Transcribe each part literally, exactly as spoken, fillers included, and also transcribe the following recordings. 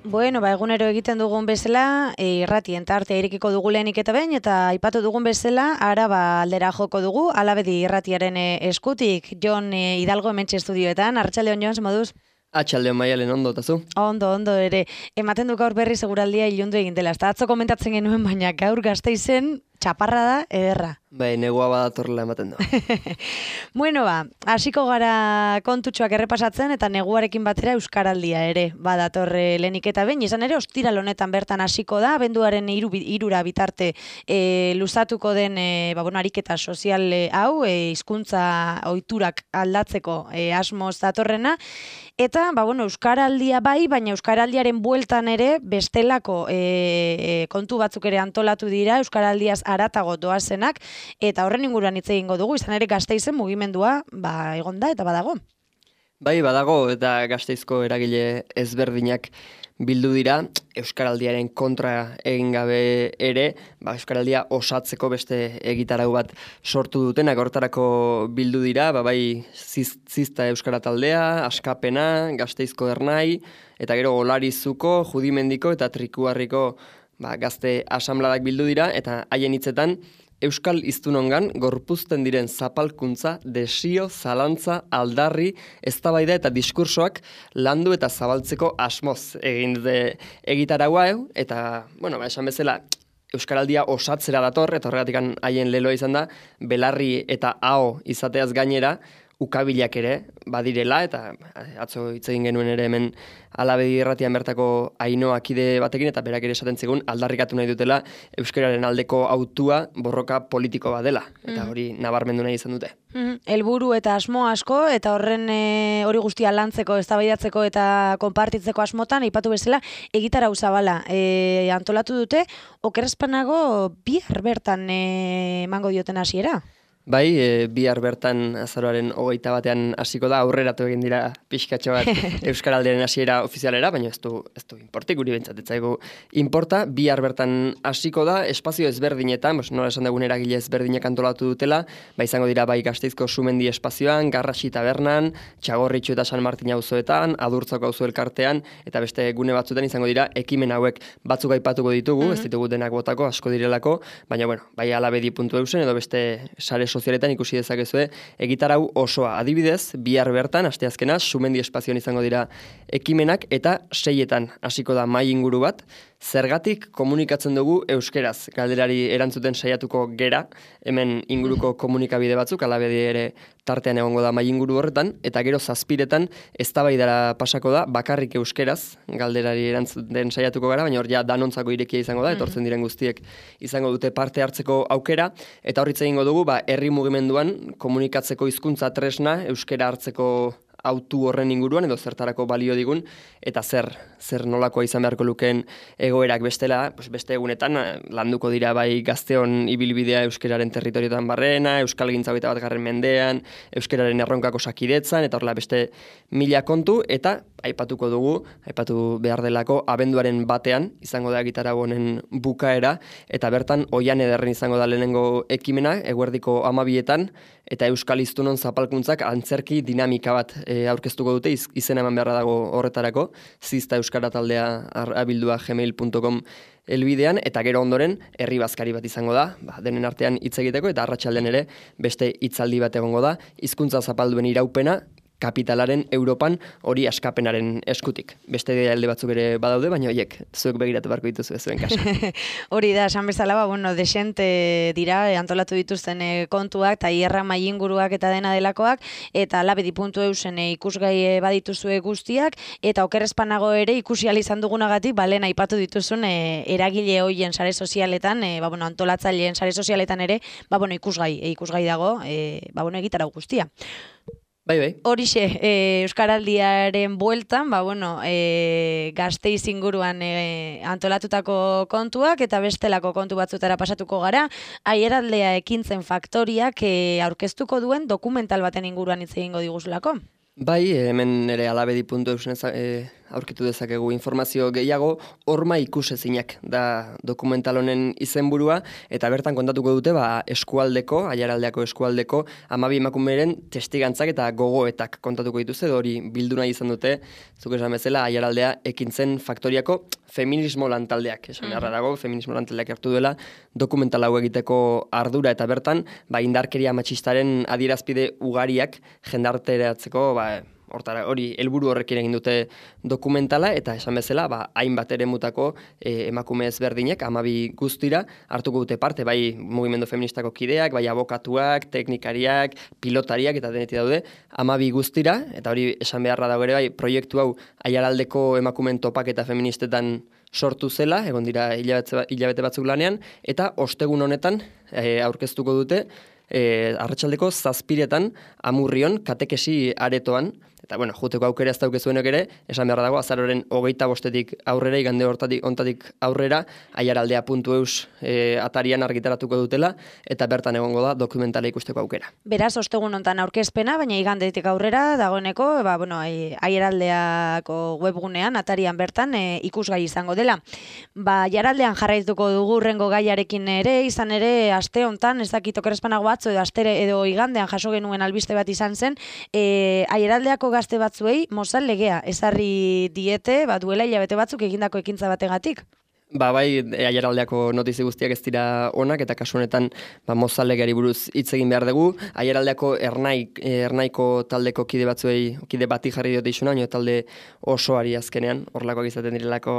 Bueno, ba, egunero egiten dugun bezala, e, irratien tartea irekiko dugu lehenik eta behin, eta aipatu dugun bezala, Araba aldera joko dugu, Alabedi irratiaren e, eskutik, Jon e, Hidalgo hementxe estudioetan. Arratsaldeon, Jon, zer moduz? Atxaldeon Maialen, ondo, eta zu? Ondo, ondo ere. Ematen du gaur berri seguraldia ilundu egin dela. Eta atzo komentatzen genuen, baina gaur Gasteizen txaparra da ederra. Bai, negua badatorrela ematen du. Bueno, ba, hasiko gara kontutxoak errepasatzen eta neguarekin batera euskaraldia ere badatorre lehenik eta behin. Izan ere, ostiral honetan bertan hasiko da, abenduaren hiru, hirura bitarte e, luzatuko den e, ba, bueno, ariketa sozial e, hau, e, hizkuntza ohiturak aldatzeko e, asmoz datorrena. Eta, ba, bueno, euskaraldia bai, baina euskaraldiaren bueltan ere bestelako e, e, kontu batzuk ere antolatu dira, euskaraldiaz aratago doazenak, eta horren inguruan hitz egingo dugu, izan ere Gasteizen mugimendua ba, egon da eta badago. Bai, badago, eta Gasteizko eragile ezberdinak bildu dira, euskaraldiaren kontra egin gabe ere, ba, euskaraldia osatzeko beste egitarau bat sortu dutenak hortarako bildu dira, ba, bai ziz, zizta euskara taldea, Askapena, Gasteizko Ernai, eta gero Olarizuko, Judimendiko eta Trikuarriko ba, gazte asanbladak bildu dira, eta haien hitzetan, Euskal hiztunongan gorpuzten diren zapalkuntza, desio, zalantza, aldarri, eztabaida eta diskursoak landu eta zabaltzeko asmoz egin dute egitaraua, eta, bueno, ba, esan bezala, euskaraldia osatzera dator, eta horregatik haien leloa izan da, belarri eta aho izateaz gainera, ukabilak ere badirela, eta atzo hitz egin genuen ere hemen Alabedi irratian bertako Ainhoa kide batekin, eta berak ere esaten zigun aldarrikatu nahi dutela euskararen aldeko autua borroka politiko bat dela, eta hori nabarmendu nahi izan dute. Helburu eta asmo asko, eta horren e, hori guztia lantzeko, eztabaidatzeko eta konpartitzeko asmotan, aipatu bezala, egitarau zabala e, antolatu dute, okerrezpanago bihar bertan e, emango dioten hasiera. Bai, e, bihar bertan azaroaren hogeita batean hasiko da, aurreratu egin dira pixkatxo bat euskaraldiaren hasiera ofizialera, baina ez du, ez du importik, guri bentsat ez zaigu importa. Bihar bertan hasiko da, espazio ezberdinetan, bos, nola esan dugun eragile ezberdinak antolatu dutela, ba izango dira bai Gasteizko Sumendi espazioan, Garrasi tabernan, Txagorritxu eta San Martin auzoetan, Adurtzako auzo elkartean, eta beste gune batzuetan izango dira ekimen hauek batzuk aipatuko ditugu, mm -hmm. ez ditugu denak botako, asko direlako, baina bueno, bai alabedi puntu eusen edo beste sare sozialetan ikusi dezakezue egitarau osoa. Adibidez, bihar bertan, asteazkena, Sumendi espazioan izango dira ekimenak, eta seietan hasiko da mahai inguru bat, zergatik komunikatzen dugu euskeraz. Galderari erantzuten saiatuko gera, hemen inguruko komunikabide batzuk, Alabedi ere tartean egongo da mahai inguru horretan, eta gero zazpiretan eztabaidara pasako da, bakarrik euskeraz, galderari erantzuten saiatuko gara, baina hor ja danontzako irekia izango da, etortzen diren guztiek izango dute parte hartzeko aukera, eta horritz egingo dugu, ba, herri mugimenduan komunikatzeko hizkuntza tresna, euskera hartzeko autu horren inguruan, edo zertarako balio digun, eta zer, zer nolakoa izan beharko lukeen egoerak bestela, pues beste egunetan landuko dira bai Gazteon ibilbidea euskararen territorioetan barrena, euskalgintza hogeita batgarren mendean, euskararen erronkako sakidetzan, eta horrela beste mila kontu, eta aipatuko dugu, aipatu behar delako, abenduaren batean, izango da egitarau honen bukaera, eta bertan oian ederren izango da lehenengo ekimena, eguerdiko amabietan, eta euskal hiztunon zapalkuntzak antzerki dinamika bat e, aurkeztuko dute, iz, izena eman beharra dago horretarako, zizta euskara taldea abildua gmail puntu com elbidean, eta gero ondoren herri bazkari bat izango da, ba, denen artean hitz egiteko, eta arratsaldean ere beste hitzaldi bat egongo da, hizkuntza zapalduen iraupena, kapitalaren Europan hori Askapenaren eskutik. Beste alde batzuk ere badaude, baina horiek zuek begiratu beharko dituzu zuen kasu. Hori da, esan bezala, ba, bueno, desente dira, antolatu dituzten e, kontuak, eta hierra mainguruak eta dena delakoak, eta alabedi puntu eusen e, ikusgai badituzue guztiak, eta okerrezpanago ere ikusi ahal izan dugunagatik, ba, lehen aipatu dituzun e, eragile hoien sare sozialetan, e, ba, bueno, antolatzaileen sare sozialetan ere, ba, bueno, ikusgai, e, ikusgai dago, e, ba, bueno, egitarau guztia. Bai, bai. Horixe, e, euskaraldiaren bueltan, ba, bueno, e, Gasteiz inguruan e, antolatutako kontuak eta bestelako kontu batzutara pasatuko gara. Aieraldea ekintzen faktoriak e, aurkeztuko duen dokumental baten inguruan hitz egingo diguzulako. Bai, hemen ere alabedi puntu eusen e, aurkitu dezakegu informazio gehiago, horma ikusezinak da dokumental honen izenburua, eta bertan kontatuko dute ba, eskualdeko, aiaraldeako eskualdeko, hamabi emakumeren testigantzak eta gogoetak kontatuko dituzte, hori bildu nahi izan dute, zuk esan bezala, aiaraldea ekintzen faktoriako feminismo lantaldeak, esan beharra dago, feminismo lantaldeak hartu duela, dokumental hau egiteko ardura eta bertan, ba, indarkeria matxistaren adierazpide ugariak jendarteratzeko, ba, hortara, hori helburu horrekin egin dute dokumentala, eta esan bezala, ba, hainbat eremutako e, emakume ezberdinek, hamabi guztira, hartuko dute parte, bai mugimendu feministako kideak, bai abokatuak, teknikariak, pilotariak, eta denetik daude, hamabi guztira, eta hori esan beharra dago ere, bai, proiektu hau aiaraldeko emakumen topaketa feministetan sortu zela, egon dira hilabete, hilabete batzuk lanean, eta ostegun honetan e, aurkeztuko dute, e, arratsaldeko zazpiretan amurrion katekesi aretoan, eta bueno, juteko aukera ez daukezuenek ere, esan behar dago, azaroren hogeita bostetik aurrera, igande hortatik, ontatik aurrera, aiaraldea puntu eus e, atarian argitaratuko dutela, eta bertan egongo da dokumentala ikusteko aukera. Beraz, ostegun hontan aurkezpena, baina igandetik aurrera, dagoeneko, ba, bueno, aiaraldeako webgunean, atarian bertan, e, ikusgai izango dela. Ba, aiaraldean jarraituko dugu urrengo gaiarekin ere, izan ere, aste hontan, ez dakit okerrezpanago batzu, edo astere, edo igandean jaso genuen albiste bat izan zen, e, aiaraldeako gazte batzuei mozal legea ezarri diete, ba, duela hilabete batzuk egindako ekintza bategatik. Ba, bai, aiaraldeako notizi guztiak ez dira onak, eta kasu honetan ba, mozal legeari buruz hitz egin behar dugu. Aiaraldeako ernai, ernaiko taldeko kide batzuei, kide bati jarri diote isuna, baina talde osoari azkenean, horlakoak izaten direlako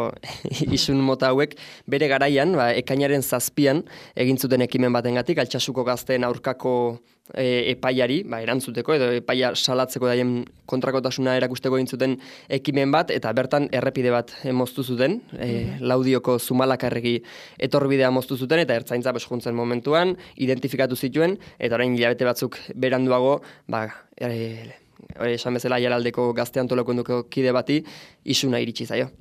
isun mota hauek, bere garaian, ba, ekainaren zazpian, egin zuten ekimen batengatik, Altsasuko gazteen aurkako E, epaiari, ba, erantzuteko edo epaia salatzeko daien kontrakotasuna erakusteko egin zuten ekimen bat, eta bertan errepide bat e, moztu zuten, e, Laudioko Zumalakarregi etorbidea moztu zuten, eta ertzaintza bes juntzen momentuan, identifikatu zituen, eta orain hilabete batzuk beranduago, ba, e, esan bezala aiaraldeko gazte antolakunduko kide bati isuna iritsi zaio.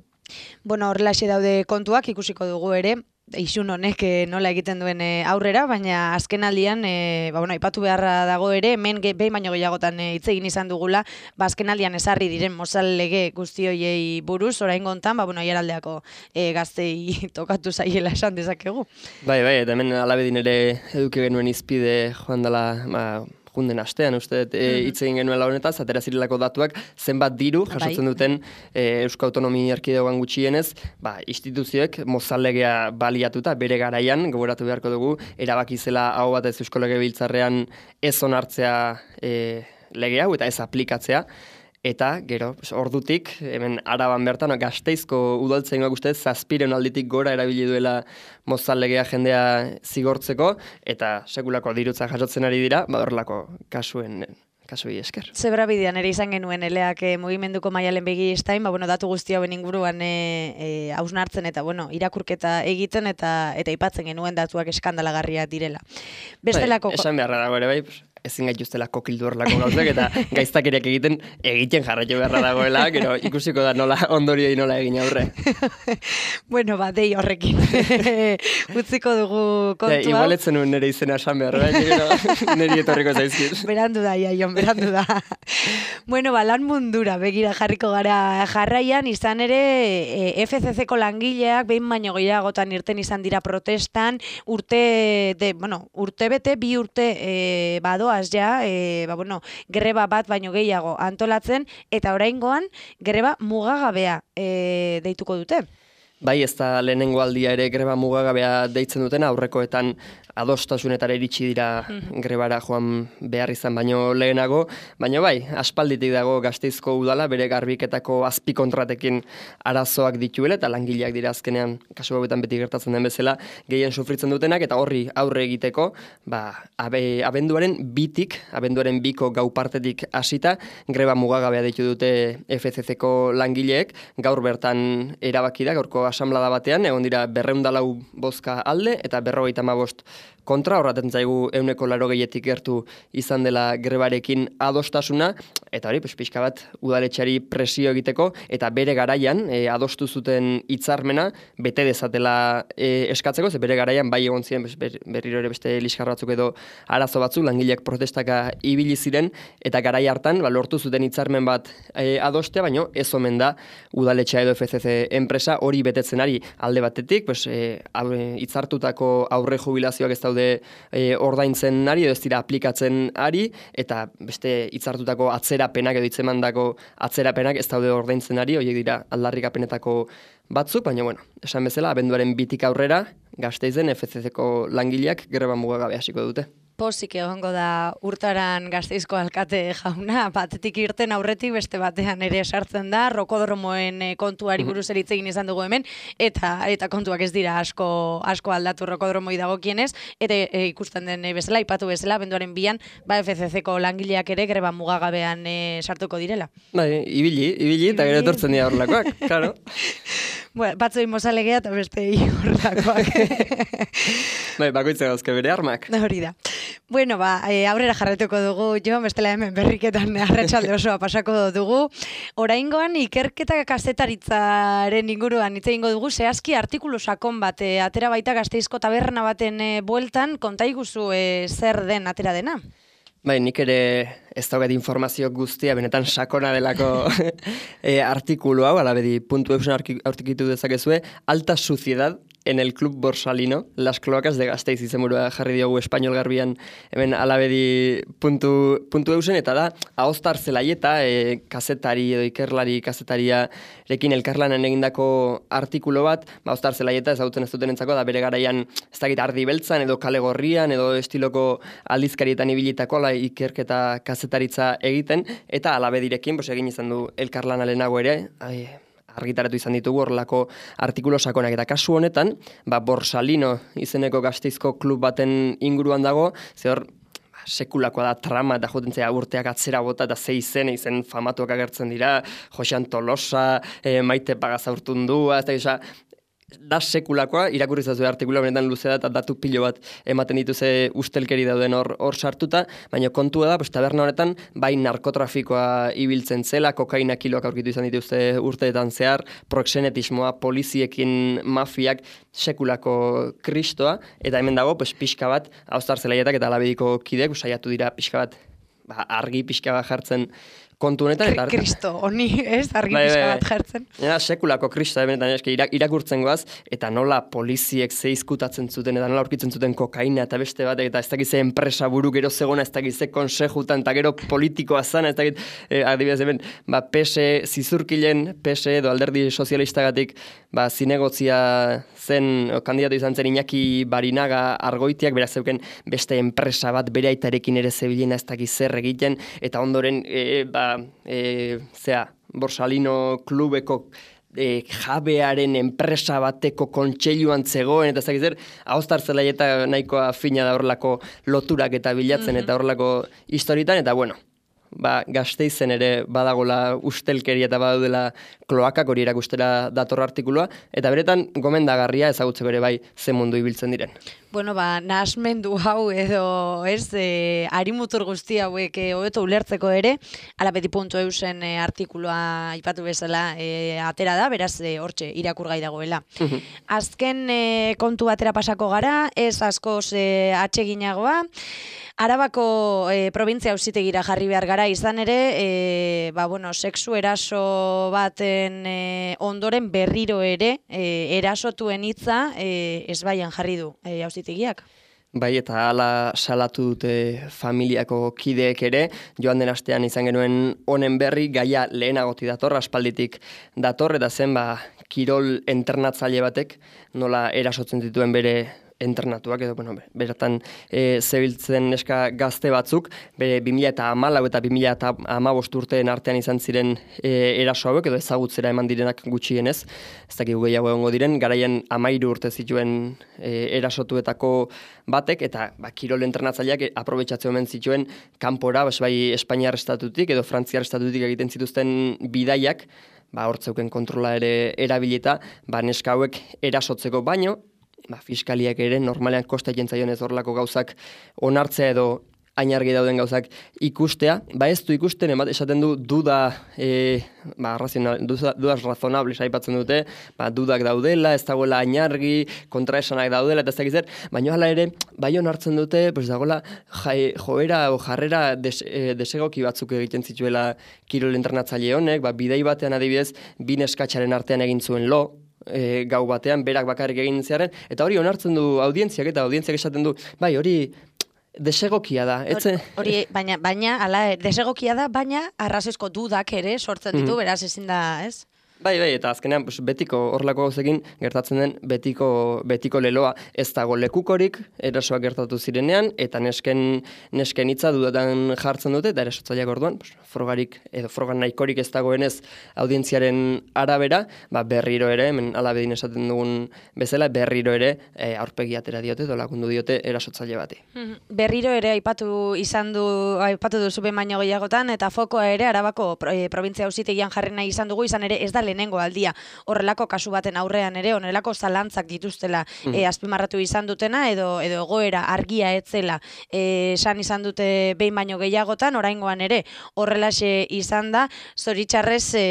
Bueno, horrelaxe daude kontuak, ikusiko dugu ere, isun honek nola egiten duen aurrera, baina azken aldian, e, ba, bueno, aipatu beharra dago ere, hemen behin baino gehiagotan hitz egin izan dugula, ba, azken aldian ezarri diren mozal lege guzti hoiei buruz, oraingo hontan, ba, bueno, aiaraldeako e, gaztei tokatu zaiela esan dezakegu. Bai, bai, eta hemen alabedin ere eduki genuen izpide joan dela, ba, junden astean, uste, hitz egin genuen honetaz, atera zirelako datuak, zenbat diru jasotzen duten e, Eusko Autonomi Erkidegoan gutxienez, ba, instituzioek mozallegea baliatuta, bere garaian, gogoratu beharko dugu, erabaki zela hau batez Eusko Legebiltzarrean ez onartzea e, lege hau, eta ez aplikatzea, eta, gero, ordutik, hemen Araban bertan, Gasteizko udaltzaingoak uste, zazpiren alditik gora erabili duela mozal legea jendea zigortzeko, eta sekulako dirutza jasotzen ari dira, badorlako kasuen kasuei esker. Zebra bidean ere izan genuen eleak e, mugimenduko Maialen Begi estain, ba, bueno, datu guzti hauen inguruan e, e, hausnartzen eta bueno, irakurketa egiten eta eta aipatzen genuen datuak eskandalagarriak direla. Bestelako... Bai, esan beharra dago ere bai, ezin gaituztela kokildu horrelako gauzak, eta gaiztakeriak egiten egiten jarraitu beharra dagoela, gero ikusiko da nola ondorioi nola egin aurre. Bueno, ba, dei horrekin. Utziko dugu kontua. Ja, igual etzen nuen nire izena esan behar, bai, gero niri etorriko zaizkit. Berandu da, Iaion, berandu da. Bueno, ba, lan mundura begira jarriko gara jarraian, izan ere e, F C C ko langileak behin baino gehiagotan irten izan dira protestan, urte, de, bueno, urte bete, bi urte e, badoa ja, e, ba, bueno, greba bat baino gehiago antolatzen, eta oraingoan greba mugagabea e, deituko dute. Bai, ez da lehenengo aldia ere greba mugagabea deitzen duten, aurrekoetan adostasunetara iritsi dira grebara joan behar izan baino lehenago, baina bai, aspalditik dago Gasteizko udala bere garbiketako azpikontratekin arazoak dituela, eta langileak dira azkenean, kasu hauetan beti gertatzen den bezala, gehien sufritzen dutenak, eta horri aurre egiteko, ba, abe, abenduaren bitik, abenduaren biko gau partetik hasita, greba mugagabea deitu dute F C C ko langileek, gaur bertan erabaki da, gaurko asamblada batean, egon dira berrehun eta lau bozka alde, eta berrogeita hamabost kontra, horraten zaigu euneko laro gehietik gertu izan dela grebarekin adostasuna, eta hori, pues, pixka bat udaletxeari presio egiteko, eta bere garaian e, adostu zuten hitzarmena bete dezatela e, eskatzeko, ze bere garaian bai egon ziren ber, berriro ere beste liskar batzuk edo arazo batzuk, langileak protestaka ibili ziren, eta garai hartan ba, lortu zuten hitzarmen bat e, adostea, baino ez omen da udaletxea edo F C C enpresa hori betetzen ari alde batetik, pues, e, hitzartutako aurre jubilazioak ez daude e, ordaintzen ari, edo ez dira aplikatzen ari, eta beste hitzartutako atzerapenak edo hitzemandako atzerapenak ez daude ordaintzen ari, horiek dira aldarrikapenetako batzuk, baina bueno, esan bezala, abenduaren bitik aurrera, Gasteizen F C C-ko langileak greba mugagabe hasiko dute. Pozik egongo da Urtaran Gasteizko alkate jauna, batetik irten aurretik beste batean ere sartzen da, rokodromoen kontuari buruz eritz egin izan dugu hemen, eta eta kontuak ez dira asko asko aldatu rokodromoi dagokienez, eta e, ikusten den bezala, ipatu bezala, benduaren bian, ba F C C-ko langileak ere greba mugagabean e, sartuko direla. Bai, ibili, ibili, eta gero etortzen dira horrelakoak, claro. Bueno, batzu inmozalegea eta beste horrelakoak. Bai, bakoitza gauzke bere armak. Hori da. Bueno, ba, e, aurrera jarretuko dugu, jo, bestela hemen berriketan arratsalde osoa pasako dugu. Oraingoan ikerketa kazetaritzaren inguruan hitz egingo dugu, zehazki artikulu sakon bat, e, atera baita Gasteizko taberna baten e, bueltan, konta iguzu e, zer den atera dena? Bai, nik ere ez daugat informazio guztia, benetan sakona delako e, artikulu hau, alabedi puntu eusen aurkitu dezakezue, alta suciedad en el Club Borsalino, las cloacas de Gasteiz izenburua jarri diogu Espainol Garbian hemen alabedi puntu, puntu eusen, eta da, ahoztar zelaieta, e, kazetari edo ikerlari kazetariarekin elkarlanen egindako artikulu bat, ba, ahoztar zelaieta ezagutzen ez duten entzako, da bere garaian ez dakit ardi beltzan, edo kale gorrian, edo estiloko aldizkarietan ibilitako, ala ikerketa kazetaritza egiten, eta alabedirekin, bos, egin izan du elkarlana lehenago ere, ai, argitaratu izan ditugu horrelako artikulo sakonak, eta kasu honetan, ba, Borsalino izeneko Gasteizko klub baten inguruan dago, ze hor sekulakoa da trama, eta joten zera urteak atzera bota, eta ze izen, izen famatuak agertzen dira, Josean Tolosa, e, Maite Pagazaurtundua, ez da, da sekulakoa, irakurri zazu artikula benetan luzea da, eta datu pilo bat ematen dituze ustelkeri dauden hor hor sartuta, baina kontua da, pues, taberna honetan, bai narkotrafikoa ibiltzen zela, kokaina kiloak aurkitu izan dituzte urteetan zehar, proxenetismoa, poliziekin mafiak, sekulako kristoa, eta hemen dago, pues, pixka bat, haustar zelaietak eta alabediko kideak, saiatu dira pixka bat, ba, argi pixka bat jartzen kontu honetan. Eta Kristo, honi, ez, argi bai, pixka bat jartzen. Ja, sekulako kristo, benetan, eske, irakurtzen goaz, eta nola poliziek ze izkutatzen zuten, eta nola aurkitzen zuten kokaina, eta beste bat, eta ez dakize enpresa buru gero zegona, ez dakize konsejutan, eta gero politikoa zana, ez dakit, eh, adibidez hemen, ba, P S E, zizurkilen, P S E edo alderdi sozialistagatik, ba, zinegotzia zen, o, kandidatu izan zen Iñaki Barinaga Argoitiak, beraz zeuken beste enpresa bat bere aitarekin ere zebilena ez dakiz zer egiten, eta ondoren, e, ba, E, zea, Borsalino klubeko e, jabearen enpresa bateko kontseiluan zegoen, eta zakizer, ahoztar zelaieta nahikoa fina da horrelako loturak eta bilatzen, mm-hmm. eta horrelako historietan, eta bueno, ba, Gasteizen ere badagola ustelkeria eta badaudela kloakak, hori erakustera dator artikulua, eta beretan gomendagarria ezagutzeko ere bai ze mundu ibiltzen diren. Bueno, ba, nahasmendu hau edo, ez, e, arimutur guzti hauek e, hobeto ulertzeko ere, alabedi puntu eusen e, artikulua ipatu bezala e, atera da, beraz, e, hortxe, irakurgai dagoela. Azken e, kontu batera pasako gara, ez askoz e, atseginagoa, Arabako e, provintzia auzitegira jarri behar gara, izan ere, e, ba, bueno, sexu eraso baten e, ondoren berriro ere, e, erasotuen hitza e, ezbaian jarri du e, auzitegiak. Bai, eta hala salatu dute familiako kideek ere, joan den astean izan genuen honen berri, gaia lehenagoti dator, aspalditik dator, eta zen, ba, kirol entrenatzaile batek, nola erasotzen dituen bere internatuak, edo, bueno, beratan e, zebiltzen neska gazte batzuk, bere bi mila hamalau eta bi mila hamabost urteen artean izan ziren e, eraso hauek, edo ezagutzera eman direnak gutxienez, ez dakik gehiago egongo diren, garaian hamairu urte zituen e, erasotuetako batek, eta ba, kirol entrenatzaileak aprobetxatzen omen zituen kanpora, bas, bai Espainiar estatutik edo Frantziar estatutik egiten zituzten bidaiak, ba, hortzeuken kontrola ere erabilita, ba, neska hauek erasotzeko baino, ba, fiskaliak ere normalean kosta egiten ez horrelako gauzak onartzea edo hain argi dauden gauzak ikustea, ba ez du ikusten, emat, esaten du duda, e, ba, razional, dudas razonables aipatzen dute, ba, dudak daudela, ez dagoela hain argi, kontraesanak daudela, eta ez dakiz zer, baina hala ere, bai onartzen dute, pues dagoela jai, joera o jarrera des, e, desegoki batzuk egiten zituela kirol entrenatzaile honek, ba, bidei batean adibidez, bi neskatxaren artean egin zuen lo, E, gau batean, berak bakarrik egin zearen, eta hori onartzen du audientziak, eta audientziak esaten du, bai, hori desegokia da. Etze... Hori, baina, baina, ala, desegokia da, baina arrazoizko dudak ere sortzen ditu, mm. beraz ezin da, ez? Bai, bai, eta azkenean pues, betiko horrelako gauzekin gertatzen den betiko, betiko leloa. Ez dago lekukorik erasoak gertatu zirenean, eta nesken, nesken hitza dudatan jartzen dute, eta erasotzaileak orduan, pues, frogarik, edo frogan nahikorik ez dagoenez audientziaren arabera, ba, berriro ere, hemen alabedin esaten dugun bezala, berriro ere e, aurpegi atera diote, edo lagundu diote erasotzaile bati. Berriro ere aipatu izan du, aipatu duzu behin baino gehiagotan, eta fokoa ere Arabako e, provintzia auzitegian jarri nahi izan dugu, izan ere ez da lehenengo aldia horrelako kasu baten aurrean ere honelako zalantzak dituztela mm. e, azpimarratu izan dutena edo edo egoera argia etzela esan izan dute behin baino gehiagotan, oraingoan ere horrelaxe izan da, zoritxarrez e,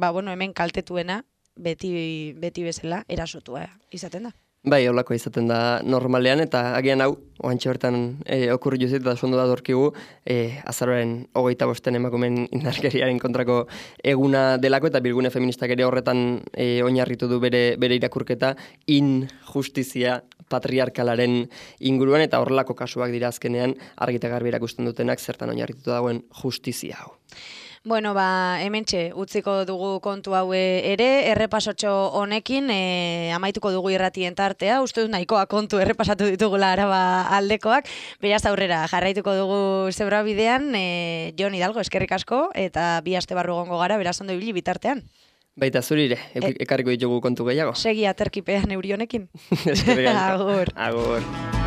ba, bueno, hemen kaltetuena beti, beti bezala erasotua izaten da. Bai, holako izaten da normalean, eta agian hau, oantxe bertan e, okurri juzit, eta sondo da dorkigu, e, azaroaren hogeita bosten emakumen indarkeriaren kontrako eguna delako, eta Bilgune Feministak ere horretan e, oinarritu du bere, bere irakurketa injustizia patriarkalaren inguruan, eta horrelako kasuak dira azkenean argita garbi erakusten dutenak zertan oinarritutu dagoen justizia hau. Bueno, ba, hementxe utziko dugu kontu hau ere, errepasotxo honekin, e, amaituko dugu irratien tartea, uste dut nahikoa kontu errepasatu ditugula Araba aldekoak, beraz aurrera jarraituko dugu zebra bidean, e, Jon Hidalgo, eskerrik asko, eta bi aste barru gongo gara, beraz ondo ibili bitartean. Baita zurire, e ekarriko ditugu kontu gehiago. Segi aterkipean euri honekin. Eskerrik asko. Agur. Agur.